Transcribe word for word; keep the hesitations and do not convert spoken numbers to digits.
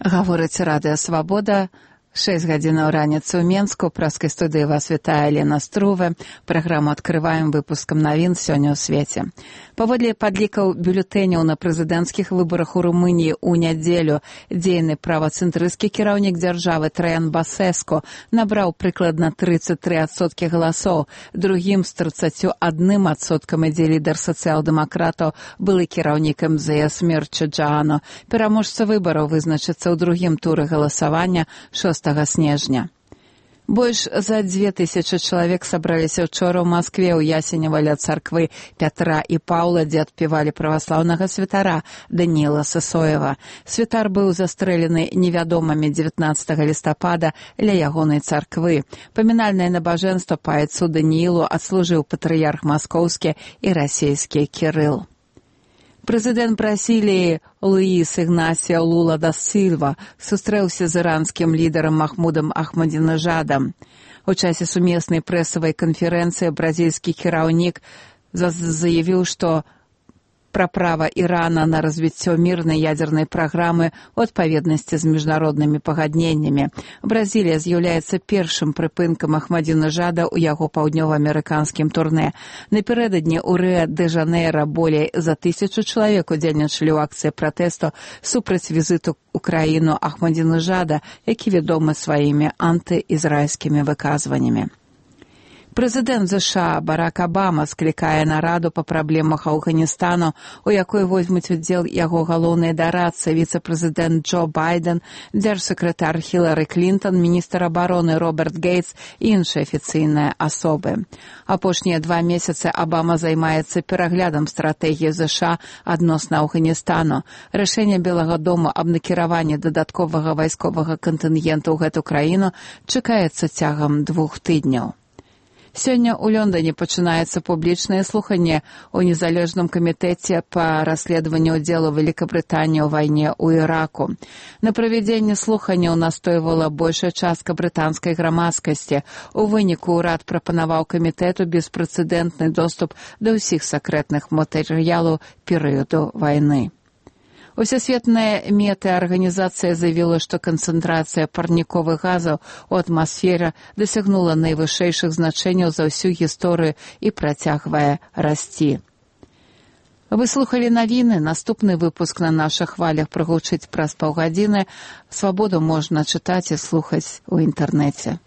Гаворыць Радыё Свабода. шэсць гадзінаў раніцы ў Менску. Праскай студыі вас вітае Лена Струве. Праграму адкрываем выпускам навін сёння ў свеце. Паводле падлікаў бюлетэняў на прэзідэнцкіх выбарах у Румыніі ў нядзелю дзейны правацэнтрысцкі кіраўнік дзяржавы Траян Басэску набраў прыкладна трыццаць тры адсоткі галасоў. Другім з трыццаццю адным адсоткам ідзе лідар сацыял-дэмакратаў, былы кіраўнік эм зэ эс Мірча Джаано. Пераможца выбараў вызначыцца ў другім туры галасавання шостага снежня. Больш за дзве тысячы чалавек сабраліся ўчора ў Маскве ў Ясенева ля царквы Пятра і Паўла, дзе адпевалі праваслаўнага святара Даніла Сысоева. Святар быў застрэлены невядомымі дзевятнаццатага лістапада ля ягонай царквы. Памінальнае набажэнства па айцу Даніілу адслужыў патрыярх маскоўскі і расейскі Кірыл. Прэзідэнт Бразіліі Луіс Ігнасіо Лула да Сілва сустрэўся з іранскім лідарам Махмудам Ахмадзінежадам. У часе сумеснай прэсавай канферэнцыі бразільскі кіраўнік заявіў, што пра права Ірана на развіццё мірнай ядзернай праграмы ў адпаведнасці з міжнароднымі пагадненнямі. Бразілія з'яўляецца першым прыпынкам Ахмадзінежада ў яго паўднёва-амерыканскім турнэ. Напярэдадні ў Рыа-дэ-Жанейра болей за тысячу чалавек удзельнічалі ў акцыі пратэсту супраць візіту ў краіну Ахмадзінежада, які вядомы сваімі антыізраільскімі выказваннямі. Прэзідэнт ЗША Барак Абама склікае нараду па праблемах Афганістану, у якой возьмуць удзел яго галоўныя дарадцы, віцэ-прэзідэнт Джо Байден, дзяржсакратар Хілары Клінтон, міністр абароны Роберт Гейтс і іншыя афіцыйныя асобы. Апошнія два месяцы Абама займаецца пераглядам стратэгіі ЗША адносна Афганістану. Рашэнне Белага дома аб накіраванні дадатковага вайсковага кантынгента ў гэту краіну чакаецца цягам двух тыдняў. Сёння ў Лондоне пачынаецца публічнае слуханне ў незалежным камітэце па расследаванню ўдзелу Великабрытаніі ў вайне ў Іраку. На правядзенне слуханняў настойвала большая частка брытанскай грамадскасці. У выніку ўрад прапанаваў камітэту беспрэцэдэнтны доступ да ўсіх сакрэтных матэрыялаў перыяду вайны. Усесветная метэарганізацыя заявіла, што канцэнтрацыя парніковых газаў у атмасферы дасягнула найвышэйшых значэнняў за ўсю гісторыю і працягвае расці. Вы слухалі навіны. Наступны выпуск на нашых хвалях прагучыць праз паўгадзіны. Свабоду можна чытаць і слухаць у інтэрнэце.